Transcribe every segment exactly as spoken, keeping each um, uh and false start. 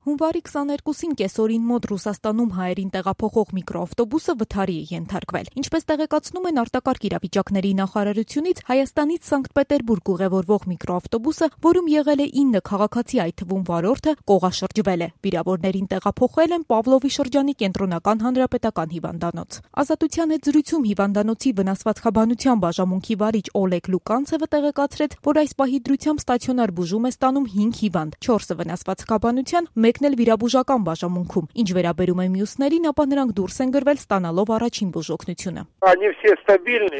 Հունվարի քսաներկուսին կեսօրին մոտ Ռուսաստանում հայերին տեղափոխող միկրոավտոբուսը վթարի է ենթարկվել։ Ինչպես տեղեկացնում են արտակարգ իրավիճակների նախարարությունից, Հայաստանից Սանկտ Պետերբուրգ ուղևորվող միկրոավտոբուսը, որում եղել է ինը քաղաքացի, այդ թվում վարորդը, կողաշրջվել է։ Վիրավորներին տեղափոխել են Պավլովի շրջանի կենտրոնական հանրապետական հիվանդանոց։ Ազատության հետ զրույցում հիվանդանոցի վնասվածքաբանության բաժանմունքի վարիչ Օլեգ Լուկանցևը տեղեկացրեց, որ այս պահի դրությամբ ստացիոնար բուժում է ստանում հինգ հիվանդ, չորսը վնասվածքաբանության, մեկն էլ վիրաբուժական բաժանմունքում։ Ինչ վերաբերում է մյուսներին, ապա նրանք դուրս են գրվել ստանալով առաջին բուժօգնությունը։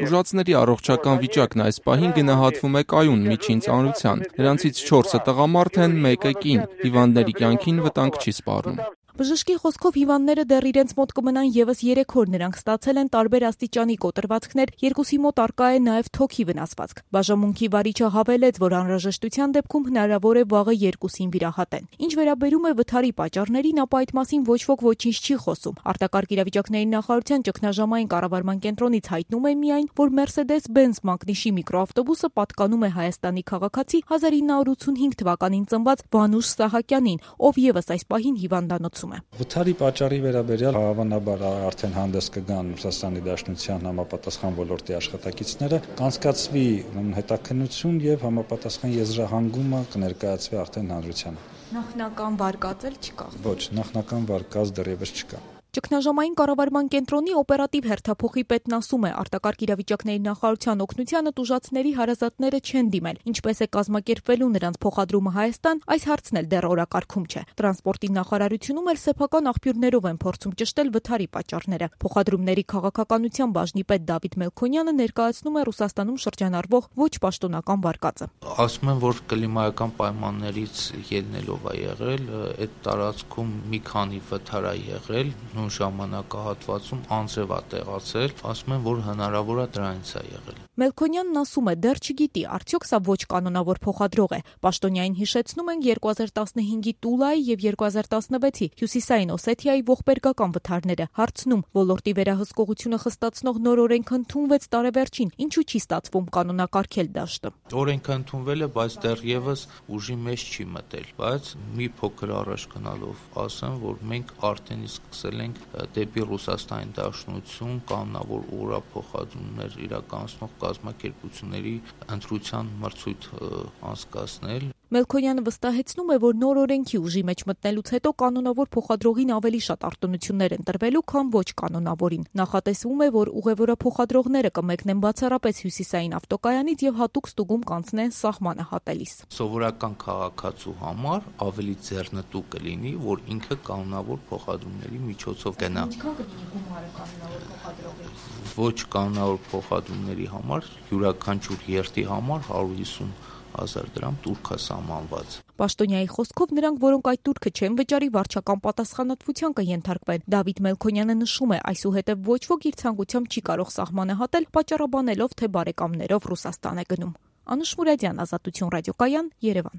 Ուժածների առողջական վիճակն այս պահին գնահատվում է կայուն միջին ծանրության։ Նրանցից չորսը տղամարդ են, մեկը կին։ Հիվանդների կյանքին վտանգ չի սպառնում։ Բժշկի խոսքով հիվանդները դեռ իրենց մոտ կմնան եւս երեք օր, նրանք ստացել են տարբեր աստիճանի կոտրվածքներ, երկուսի մոտ առկա է նաեւ թոքի վնասվածք։ Բաժանմունքի վարիչը հավելեց, որ անհրաժեշտության դեպքում հնարավոր է վաղը երկուսին վիրահատեն։ Ինչ վերաբերում է վթարի պատճառներին, ապա այդ մասին ոչ ոք ոչինչ չի խոսում։ Արտակարգ իրավիճակների նախարարության ճգնաժամային կառավարման կենտրոնից հայտնում է միայն, որ Mercedes-Benz մակնիշի միկրոավտոբուսը պատկանում է Հայաստանի քաղաքացի հազար ինը հարյուր ութսունհինգ թվականին ծնված Վանուշ Սահակյանին, ով եւս այս պահին հիվանդանոցում։ Վթարի պատճառի վերաբերյալ հավանաբար արդեն հանդես կգան Ռուսաստանի Դաշնության համապատասխան ոլորտի աշխատակիցները, կանցկացվի հետաքննություն եւ համապատասխան եզրահանգումը կներկայացվի արդեն հանրությանը։ Նախնական վարկած էլ չկա։ Ոչ, նախնական վարկած դեռևս չկա։ Ճգնաժամային կառավարման կենտրոնի օպերատիվ հերթափոխի պետն ասում է, արտակարգ իրավիճակների նախարարության օգնությանը տուժածների հարազատները չեն դիմել, ինչպես է կազմակերպվելու նրանց փոխադրումը Հայաստան, այս հարցն էլ դեռ օրակարգում չէ։ Տրանսպորտի նախարարությունում էլ սեփական աղբյուրներով են փորձում ճշտել վթարի պատճառները։ Փոխադրումների քաղաքականության բաժնի պետ Դավիթ Մելքոնյանը ներկայացնում է Ռուսաստանում շրջանառվող ոչ պաշտոնական վարկածը։ Ասում են, որ կլիմայական պայմաններից ելնելով է եղել, այդ տարածքում մի քանի վթար է եղել, նույն ժամանակահատվածում անձրև է տեղացել, ասում են, որ հնարավոր է դրանից է եղել։ Մելքոնյանն ասում է, դեռ չգիտի, արդյոք սա ոչ կանոնավոր փոխադրող է։ Պաշտոնյային հիշեցնում են երկու հազար տասնհինգի Տուլայի եւ երկու հազար տասնվեցի Հյուսիսային Օսեթիայի ողբերգական վթարները։ Հարցնում, ոլորտի վերահսկողությունը խստացնող նոր օրենք ընդունվեց տարեվերջին, ինչու չի ստացվում կանոնակարգել դաշտը։ Օրենքը ընդունվել է, բայց դեռևս ուժի մեջ չի մտել, բայց մի փոքր առաջ գնալով ասեմ, որ մենք արդեն սկսել ենք դեպի Ռուսաստանի Դաշնություն կանոնավոր օրափոխադրումներ իրականացնող կազմակերպությունների ընտրության մրցույթ անցկացնել։ Մելքոնյանը վստահեցնում է, որ նոր օրենքի ուժի մեջ մտնելուց հետո կանոնավոր փոխադրողին ավելի շատ արտոնություններ են տրվելու, քան ոչ կանոնավորին։ Նախատեսվում է, որ ուղևորափոխադրողները կմեկնեն բացառապես Հյուսիսային ավտոկայանից եւ հատուկ ստուգում կանցնեն սահմանը հատելիս։ Սովորական քաղաքացու համար ավելի ձեռնտու կլինի, որ ինքը կանոնավոր փոխադրումների միջոցով գնա։ Ինչքան կլինի գումարը կանոնավոր փոխադրողի։ Ոչ կանոնավոր փոխադրումների համար յուրաքանչյուր երթի համար հարյուր հիսուն հազար դրամ տուրք է սահմանված։ Պաշտոնյայի խոսքով նրանք, որոնք այդ տուրքը չեն վճարի, վարչական պատասխանատվության կենթարկվեն։ Դավիթ Մելքոնյանը նշում է, այսուհետև ոչ ոք իր ցանկությամբ չի կարող սահմանը հատել, պատճառաբանելով, թե բարեկամներով Ռուսաստան է գնում։ Անուշ Մուրադյան, Ազատություն ռադիոկայան, Երևան։